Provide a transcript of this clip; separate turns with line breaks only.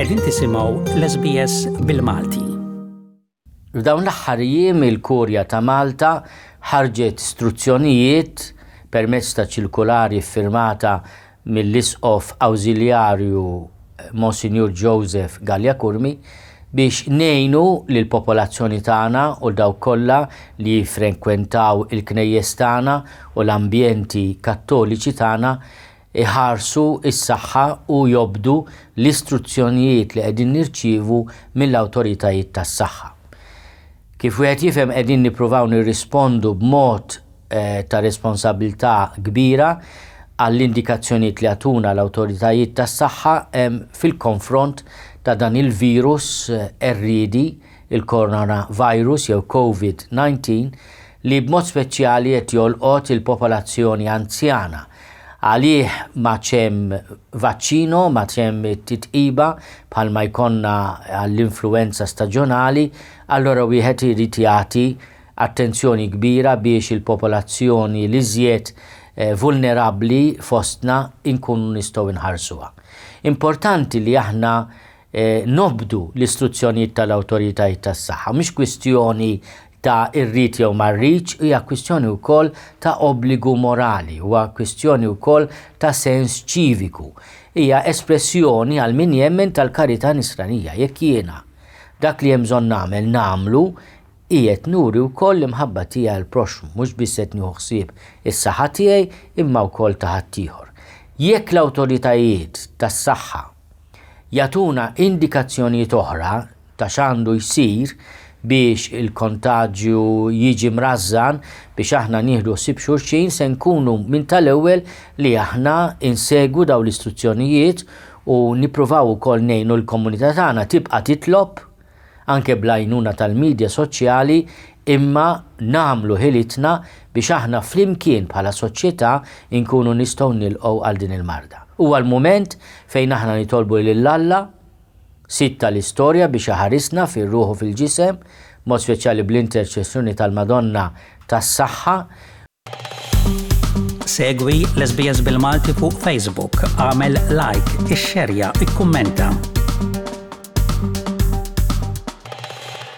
Qegħdin tisimgħu l-SBS bil-Malti.
F'dawn l-aħħar jiem il-Kurja ta' Malta ħarġet struzzjonijiet permezz ta' ċirkulari ffirmata mill-Isqof Awżiljarju Monsinjur Joseph Galea Curmi biex ngħinu lill-popolazzjoni tagħna u dawk kollha li jiffrenkwentaw il-knejjes tagħna u l-ambjenti Kattoliċi tagħna iħarsu s-saħħa u jobdu l-istruzzjonijiet li qegħdin nirċievu mill-awtoritajiet tas-saħħa. Kif wieħed jifhem qegħdin nippruvaw nirrispondu b'mod ta' responsabilità kbira għall-indikazzjonijiet li jagħtuna l-awtoritajiet tas-saħħa fil-konfront ta' dan il-virus qerriedi, il-coronavirus jew Covid-19, li b'mod speċjali qed jolqot il-popolazzjoni anzjana. Għalih m'għadx hemm vaċċino, m'għadx hemm titqiba bħalma jkollna għall-influwenza staġjonali, allura wieħed irid jagħti attenzjoni kbira biex il-popolazzjoni l-iżjed vulnerabbli fostna nkunu nistgħu nħarsuha. Importanti li aħna nobdu l-istruzzjonijiet tal-awtoritajiet tas-saħħa. Mhix kwistjoni ta' irrid jew ma rridx, hija kwistjoni wkoll ta' obbligu morali, huwa kwistjoni wkoll ta' sens ċiviku. Hija espressjoni għal min jemmen tal-karità nisranija. Jekk jiena dak li hemm bżonn nagħmel nagħmlu, qiegħed nuri wkoll l-imħabba tiegħi għall-proxxmu, mhux biss qed nieħu ħsieb is-saħħa tiegħi imma wkoll ta' ħaddieħor. Jekk l-awtoritajiet tas-saħħa jagħtuna indikazzjonijiet oħra ta' x'għandu jsir biex il-kontaġju jiġi mrażżan biex aħna nieħdu ħsieb xulxin se nkunu minn tal-ewwel li aħna insegwu dawn l-istruzzjonijiet u nippruvaw ukoll ngħinu l-komunità tagħna tibqa' titlob anke bl-għajnuna tal-midja soċjali imma nagħmlu ħilitna biex aħna flimkien bħala soċjetà nkunu nistgħu nilqgħu għal din il-marda. Huwa l-mument fejn aħna nitolbu lil Alla, Sid tal-istorja biex iħarisna fir-ruħ u fil-ġisem, b'mod speċjali bl-interċessjoni tal-Madonna tas-Saħħa.
Segwi l-SBS bil-Malti fuq Facebook, agħmel like, ixxerja, ikkummenta.